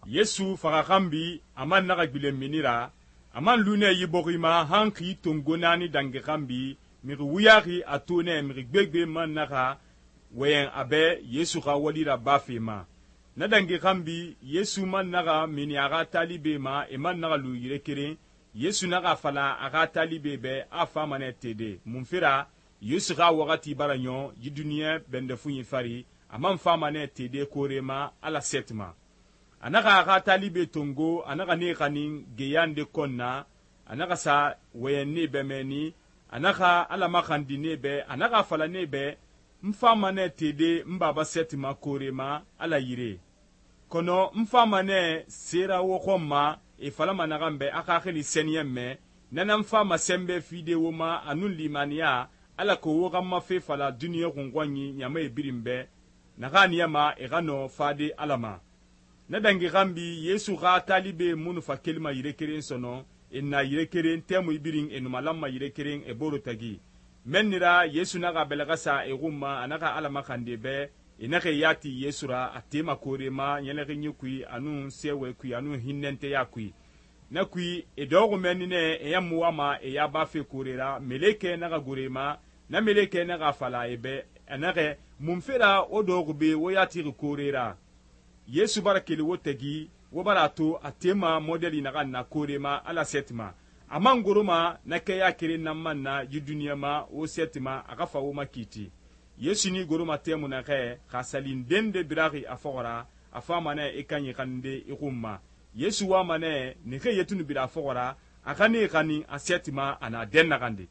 Yesu faxa xanbi a man naxa gbilen mini ra, a man lu nɛ yi bɔxi ma han xi tongo naani dangi xanbi, mixi wuyaxi a to nɛ mixi gbegbe man naxa wɔyɛn a bɛ Yesu xa wali rabafe ma. Na dangi xanbi Yesu man naxa mini a xa talibe ma, e man naxa lu yire keren. Yesu naxa fala a xa talibe bɛ a fama nɛ tede. Munfe ra Yesu xa waxati bara ɲɔn yi duniɲɛ bɛndɛfunyi fari, a man fama nɛ tede koore ma Ala sɛti ma. A naxa a xa talibe tongo, a naxa nee xanin geya nde kɔn na, a naxa sa wɔyɛn nee bɛ mɛni, a naxa Ala maxandi nee bɛ, a naxa fala nee bɛ, n fama nɛ tede n baba sɛti ma koore ma Ala yire. Kɔnɔ n fama nɛ sera wo xɔn ma, e falama naxan bɛ a xaxili sɛniyɛn mɛ, nana n fama sɛnbɛ fide wo ma a nun limaniya, alako wo xa n ma fe fala duniɲɛ xunxɔnyi ɲamae birin bɛ, naxa niyama e xa nɔ fade Ala ma. Na dangi xanbi Yesu xa talibe munnu fa kelima yire keren sɔnɔ, e na yire keren tɛmui birin e numalanma yire keren e boro tagi. Mɛnni ra Yesu naxa bɛlɛxa sa e xun ma, a naxa Ala maxande bɛ, e naxa yati Yesu ra a tema koore ma ɲɛlɛxinyi kui a nun sɛwɛ kui a nun hinnɛnteya kui. Na kui e dɔxɔ mɛnni nɛ e yan mu wama e ya bafe koore ra, melekɛ naxa gore ma, na melekɛ naxa fala e bɛ, a naxɛ munfe ra wo dɔxɔ be wo yatixi koore ra. Yesu bara keli wo tagi, wo bara a to a tema modeli naxan na koore ma Ala sɛti ma. A man goroma na kɛya keren nan man na yi duniɲa ma wo sɛti ma a xa fa wo ma kiiti. Yesu ni goroma tɛmu naxɛ xa salin den de biraxi a fɔxɔ ra, a fama nɛ i kanyi xaninde i xun ma. Yesu wama nɛ nixe yetunu bira a fɔxɔ ra, a xa ne xanin a sɛti ma a na den naxande.